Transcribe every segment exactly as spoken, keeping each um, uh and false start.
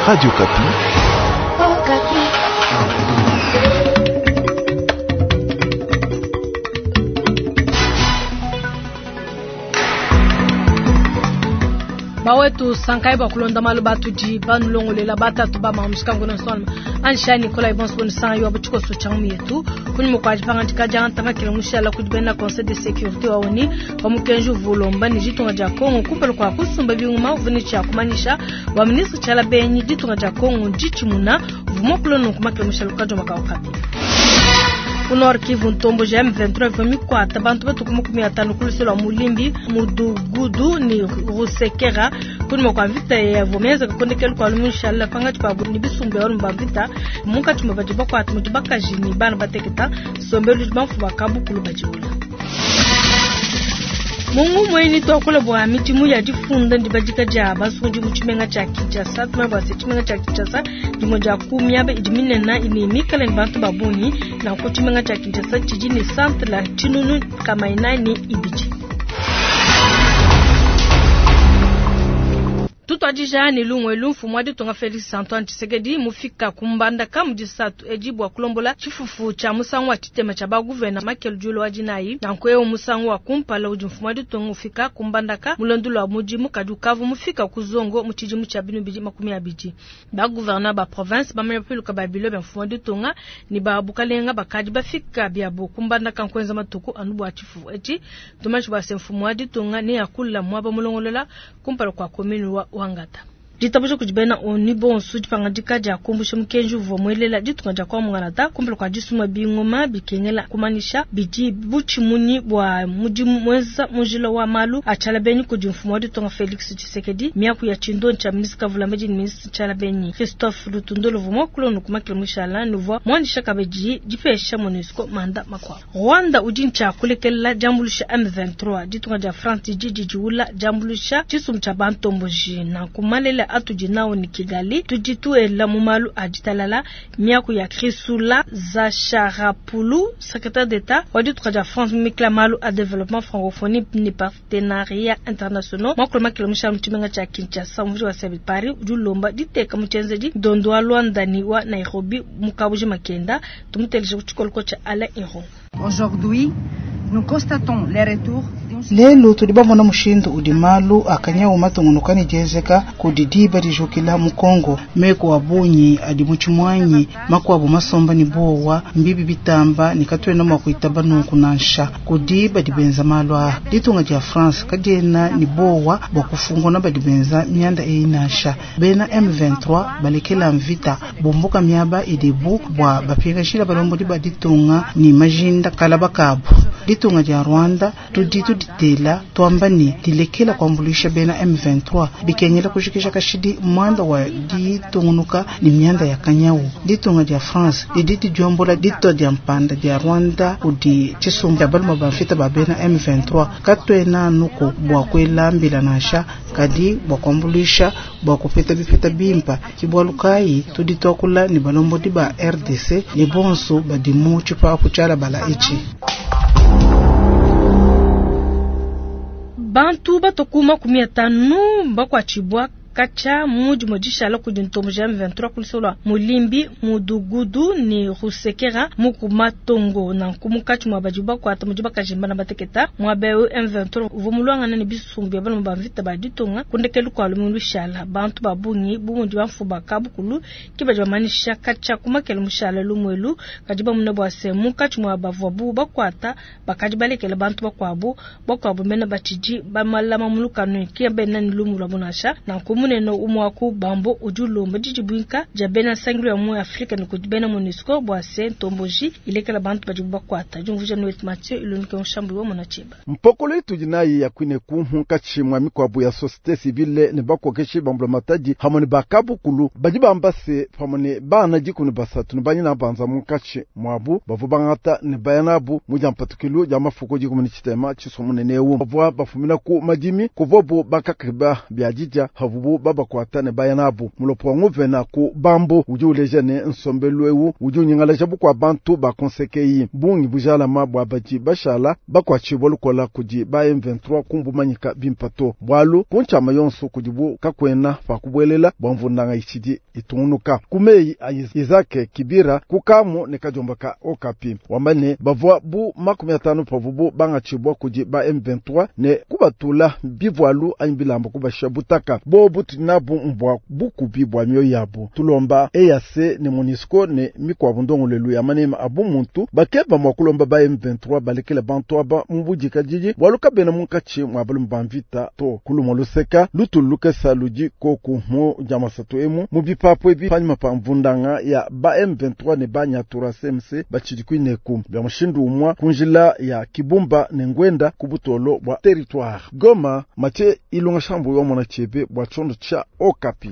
Radio Okapi. Bawetu sankai bakulonda malu batudi banulongolela batatu ba mamuskango na nsonma ansha Nicolas Ibons bon sang yo butiko so changu yetu kuni mukwaji pangantika janta makele mushala kudi bena conseil de sécurité wa ONU wa mukenju vulomba ni jitunga ja Kongo kumpala kwa kusumba biuma uvuni cha kumanisha wa ministre chala benyi jitunga ja Kongo jichimuna vumokulo nukumakele mushala kajo makaukapi Ku Nord Kivu ntombo ja M vingt-trois ivua mikwata bantu batuku makumi atano ku luselo lwa Mulimbi Mudugudu ni Rusekera kunyuma kwa mvita yavua mienzeka kondekelu kwa lumushala pangatshi pabu ni bisumbu ya ba mvita munkatshi mwa badi bakwata mudi bakaji ni bana bateketa sombelu bamfu bakabukulu badiula. Mungu mweni twakula bwa midimu ya difunda ndibadika dia basungi mu tshimenga tshia Kinshasa tumanya bua se tshimenga tshia Kinshasa dimue dia ku miaba idi minene ne mikale ne bantu ba bungi nanku tshimenga tshia Kinshasa tshidi ne centre la tshinunu kama inayi ne ibidi. Tutwadija ne lungwe mfumu wa ditunga Felix Antoine Tshisekedi mufika kumbandaka mu disatu edi bua kulombola tshifufu tshia musangu wa tshitema tshia baguvena Makelo Djolo wa dinayi. Nanku eu musangu wa kumpala udi mfumu wa ditunga ufika kumbandaka mulondo lwa mudimu kadi ukavu mufika ku zongo mu tshidimu tshia binu bidi makumi abidi. Ba gouverneur ba province bamanya piluka ba bilo bia mfumu wa ditunga ni ba bukalenga bakadi bafika biabo kumbandaka nkwenza matuku anu bua tshifufu etshi. Tumashi bua se mfumu wa ditunga ne akula muaba mulongolola kumpala kwa commune wa Wangata. Ditabuja kudi bena ONU bonso dipangadika dia kumbusha mukenji uvua muelela ditunga dia kwa Mwangalata kumpala kwa disuma bingoma bikengela kumanyisha bidi butshimunyi bua mudimu mwenza mujila wa malu achala benyi kudi mfumu wa ditunga Felix Tshisekedi miaku ya chindo cha ministre Kavulambedi ni ministre Tshala Benyi Christophe Lutundolo vumwa kulono kumakila mushala nuvua mwandisha kabedi dipesha MONUSCO manda makwa Rwanda udi ncha kulekela jambulusha M vingt-trois ditunga dia France didi diula jambulusha tshisumbu tshia bantomboji na kumalela atudi nao ni Kigali tudituela mu malu a ditalala miaku ya Chrysoula Zacharopoulou secrétaire d'État wa ditunga dia France mikla malu a développement francophonie ni partenariat internationaux mwakolo makila mushala mutshimenga tshia Kinshasa muvidi wa Sabi Paris udi ulomba diteka mutshenzedi ndondo wa Luanda ni wa Nairobi mukabuji makenda tumuteleshe ku tshikoloko tshia Alain Iron. Aujourd'hui, nous constatons les retours Lelu tudi bamona mushindu udi malu akanyawu matungunuka ne dienzeka kudi diba dijukila mu Kongo meko wa bunyi adi mu tshimwanyi makuabu masomba ni bowa mbibi bitamba ni katuena mua kuitaba nunku nansha kudi badi benza malu aa ditunga dia France kadiena ni bowa bua kufungona badi benza mianda eyi nansha bena M vingt-trois balekela mvita bumbuka miaba idibu bua bapingashila balombodi ba ditunga ni majinda kalaba kabu ditunga dia Rwanda tudi tudi tela twamba ni dilekela kuambulisha bena M vingt-trois bikengela kushikisha kashidi mwanda wa ditungunuka ni mianda ya kanyawu ditunga dia France didi diombola dito dia mpanda dia Rwanda kudi tshisumbu baluma ba mfita ba bena M vingt-trois katwena nuko bua kwelambila nansha kadi bua kuambulisha bua kupeta bipeta bimpa kibwalukayi tudi twakula ni balombodi ba R D C ni bonso badimu tshipapu tshiala bala ichi. Bantu batoku makumi atanu bakwatshibwa kacha mudi modishala kudi ntombo ja M vingt-trois kulisolwa Mulimbi Mudugudu ni Rusekera muku matongo na nkumukatshi mwa badi bakwata mudi bakajimba na bateketa mwa beu M vingt-trois uvo mulwangana ne bisumbu ya bana ba mvita ba ditonga kundekelu kwa lumu lushala bantu ba bungi bu mudi bamfu ba kabukulu ki badi bamanisha kacha kumakela mushala lumwelu kadi bamuna bwa se mukatshi mwa bavwa bu bakwata bakadi balekela bantu bakwabu bakwabu mena batshidi bamalama mulukanu ki bena ni lumu lwa bunasha na nkumu neno umwaku bambo ujulomba didibwinka dia bena sangilo ya mu Afrika ni kudi bena MONUSCO bua se ntomboji ilekela bantu badi bakwata jumvuja Noet Mathieu ilonike nshambu wa mona chiba. Mpokolo itu dinayi ya kwine ku munkatshi mwa mikwabu ya société civile ne bakokeshi bambula matadi hamwe ne bakabukulu badi bamba se pamwe ne bana dikumi basatu ne banyina banza munkatshi mwabu bavua bangata ne bayanabu mu dia mpatukilu dia mafuko dikumi ne tshitema tshisomunene eu bavua bafumina ku madimi kuvobu bakakeba bia didia havubu pavuabu babakuata ne baya nabu. Mulopo wa nguvena ku Bambo udi uleja ne nsombelu eu udi unyingalaja bukua bantu ba konsekeyi bungi bujalama bua badi bashala bakuatshibua lukola kudi ba M vingt-trois kumbumanyika bimpa to. Bwalu kunchama yonso kudibu kakwena pa kubuelela bua mvundanga itshidi itungunuka. Kumei a Isaac Kibira kukamu ne kajomba ka Okapi. Wamba ne bavua bu makumi atanu pavubu bangatshibua kudi ba M vingt-trois ne kubatula bivualu anyi bilamba kubasha butaka. Bobu tunabu mbwa bukubi bwa mioyo yabu. Tulomba E A C ne MONUSCO ne mikwabu ndongolelu ya manema abu muntu bakeba mwa kulomba ba M vingt-trois balekele bantu aba mubudika didi bwalu kabena munkatshi mwa balume ba mvita to. Kulumwa luseka lutulu lukesa ludi koku mu jamasatu emu mu bipapu ebi panyima pa mvundanga ya ba M vingt-trois ne ba Nyatura C M C batshidi kuineku. Bya mushindu umwa kunjila ya Kibumba ne Ngwenda ku butolo bwa territoire. Goma Mathieu Ilunga Shambu wa mona chebe bwa chondo cha Okapi.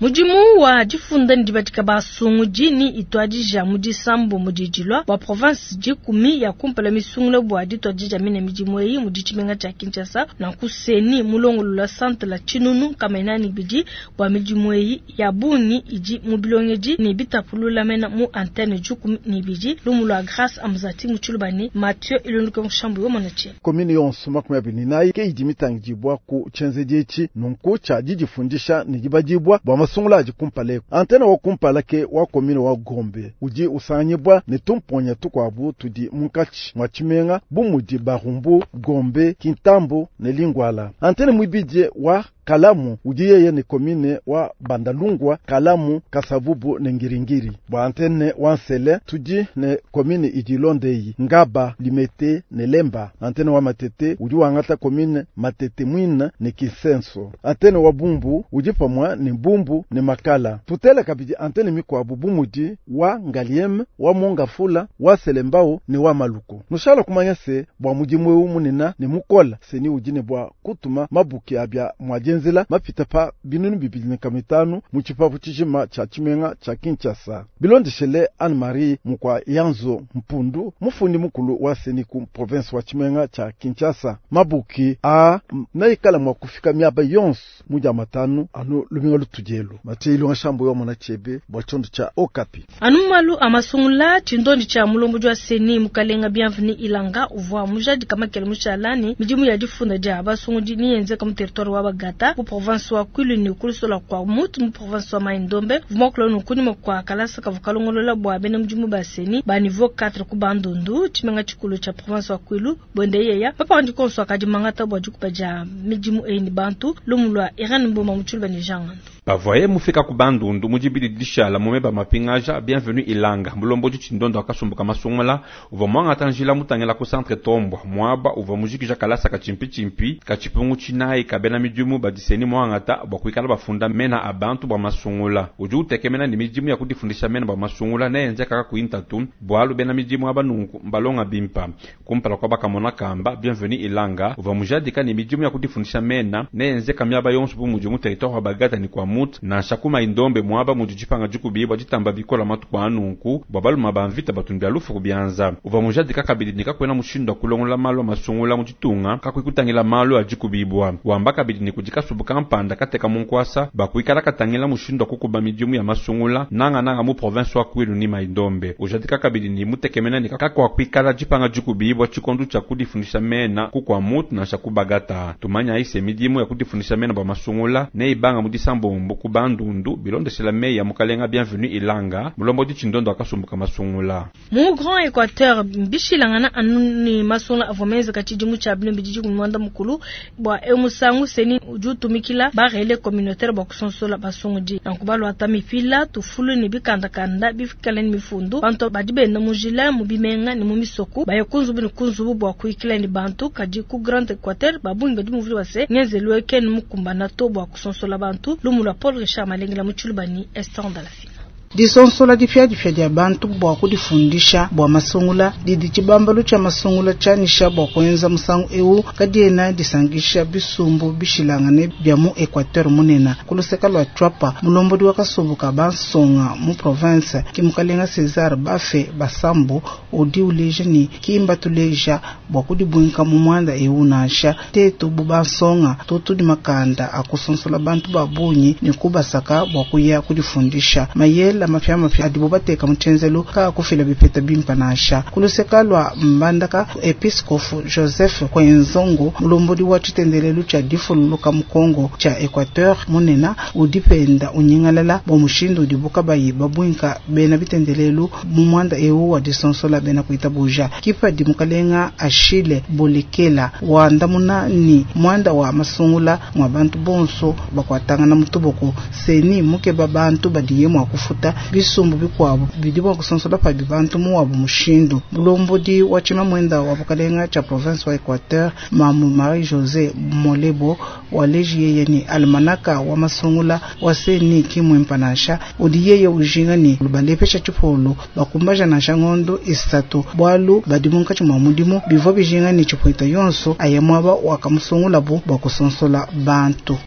Mudimu wa difunda ndibatika basungu dini itwadija mu disambo mu dijilwa bwa province dikumi ya kumpala misungula bwa ditwadija mine midimu eyi mu ditshimenga tshia Kinshasa na kuseni mulongolo la centre la Chinunu kamenani bidi bwa midimu eyi ya bungi idi mu bilongedi ne bitapulula mena mu antenne dikumi ni bidi lumu lwa Grâce Amzati mu Tshilubani Mathieu Ilunduka Mushambu yo monache. Commune yonso makumi abiri ni nayi ke idi mitangidibwa ku tshenzedi etshi nunku tshia didifundisha ne dibadibwa bwa masungula adi kumpala eku. Antenne wa kumpala ke wa commune wa Gombe udi usanganyibwa ne tumponya tukwabu tudi munkatshi mwa tshimenga bu mudi Barumbu, Gombe, Kintambo ne Lingwala. Antenne mwibidie wa Kalamu udi yeye ne commune wa Bandalungwa, Kalamu, Kasavubu ne Ngiringiri. Bwa antenne wa Nsele tudi ne commune idi Londeyi, Ngaba, Limete ne Lemba. Antenne wa Matete udi wangata commune Matete Mwina ne Kisenso. Antenne wa Bumbu udi pamwa ne Bumbu ne Makala. Tutele kabidi antenne mikwabu bumudi wa Ngalieme, wa Mongafula, wa Selembao ne wa Maluku. Nushala kumanya se bwa mudimu eu munena ne mukola seni udi ne bwa kutuma mabuki abya mwa nzela mapita pa binunu bibili ne kamitanu mu tshipapu tshijima tshia tshimenga tshia Kinshasa. Bilondeshele Anne-Marie Mukwa Yanzo Mpundu, mufundi mukulu wa seni ku province wa tshimenga tshia Kinshasa. Mabuki a naikala mwa kufika miaba yonso mu dia matanu anu luminga lutudielu. Mathieu Ilunga Shambo yo mona chebe bwa tshondo tshia Okapi. Anu malu amasungula tshindondi tshia mulombo wa seni mukalenga Bienvenu Ilanga uvua mujadi kamakele mushalani midimu ya difunda dia basungudi ni yenzeka mu territoire wa Bagata mu province wa Kwilu ni kulusola kwa mutu mu province wa Mai-Ndombe vumwa nukuni mwa kalasa kavukalongolola bwa bena mudimu baseni ba niveau quatre ku Bandundu tshimenga tshikulu tsha province wa Kwilu bonde yeya papa ndi konso akadi mangata bwa dikupa dia midimu eyi ni bantu lumulwa Irene Mboma mutshulu bani jangando. Bavoye mufika ku Bandundu mujibili dishala mumeba mapingaja Bienvenu Ilanga mulombo tshindondo akasumbuka masungula uva mwanga tanjila mutangela ku centre Tombwa mwaba uva mujikija kalasa kachimpi chimpi kachipungu chinayi kabena midimu badiseni mwangata bwa kuikala bafunda mena abantu bwa masungula udi utekemena ni midimu ya kudifundisha mena bwa masungula neyenze kaka kuintatu bwalu bena midimu abanunku mbalonga bimpa kumpala kwa bakamona kamba Bienvenu Ilanga uva mujadika ni midimu ya kudifundisha mena neyenze kamyaba yonso bu mudimu territoire wa Bagata ni kwa mut na shakuma indombe mwaba mujijipanga jikubibwa jitamba bikola matuku anunku bwa baluma bamvita batundu alufu kubyanza uva mujadika kabidi nikakwena mushindo kulongola malu masungula mujitunga kakwikutangila malu ajikubibwa wamba kabidi ni kujikasubu kampanda kateka munkwasa bakwikala katangila mushindo kukuba midimu ya masungula nanga nanga mu province wa Kwilu ni Mai-Ndombe ujadika kabidi ni mutekemena ni kakwa kwikala jipanga jikubibwa chikondu cha kudifundisha mena kukwa mutu na shakubagata tumanya ise midimu ya kudifundisha mena bwa masungula ne ibanga mudisambombo ku Bandundu bilondeshela meya ya mukalenga Bienvenu Ilanga mulombo di tshindondo akasumbuka masungula mu Grand Equateur mbishilangana anu ni masungula avomeza kachidimu cha bilombi didi kumwanda mukulu bwa emusangu seni ujutumikila barele communautaire bwa kusonsola basungudi nankubalo atamipila tufulu ni bikandakanda bifikala ni mifundu bantu badi benda mujila mu bimenga ni mu misoko bayekunzubu ni kunzubu bwa kuikila ni bantu kadi ku Grand Equateur babungi badi muvuli wase ngenzelwe ken mukumbana to bwa kusonsola bantu lumula Paul Richard Malengela Mutshulubani Esther Ndalafina. Disonsola dipiadipia dia bantu bua kudifundisha bua masungula didi tshibambalu tshia masungula tshianyisha bua kuenza musangu eu kadiena disankisha bisumbu bishilangane bia mu Equateur munena. Ku luseke lua Tshuapa, mulombodi wa kasumbu ka bansonga mu province ki mukalenga César Bafe Basambo udi uleja ne kimba tuleja bua kudibuinka mu muanda eu nansha tetu bu bansonga tutu makanda akusonsola bantu ba bungi ne kubasaka bua kuya kudifundisha mayela mapiamapia adibo bateka mu tshenzelu kaakufila bipeta bimpa nansha. Ku luseke lua Mbandaka, episkofu Joseph Kwenzongo mulombodi wa tshitendelelu tshia difululuka mu Kongo tshia Equateur munena udi penda unyingalala bua mushindu udibu kabayi babuinka bena bitendelelu mu muanda eu wa disonsola bena kuitabuja. Kipadi mukalenga Achille Bolekela wandamuna ni muanda wa masungula mwa bantu bonso bakwatangana mutuboko seni mukeba bantu badiye mwa kufuta bisumbu bikuabo bidi bua kusonsola pabi bantu muwabu mushindu. Mulombodi wa tshimamwenda wa bukalenga tshia province wa Equateur mamu Marie José Molebo waleji yeye ni almanaka wa masungula wa seni kimwimpa nansha udi yeye ujinga ni lubalepesha tshipolo bakumbaja nansha ngondo isatu bwalu badi munkatshi mwa mudimu bivua bijinga ni tshipwita yonso aya mwaba wakamusungulabu bua kusonsola bantu.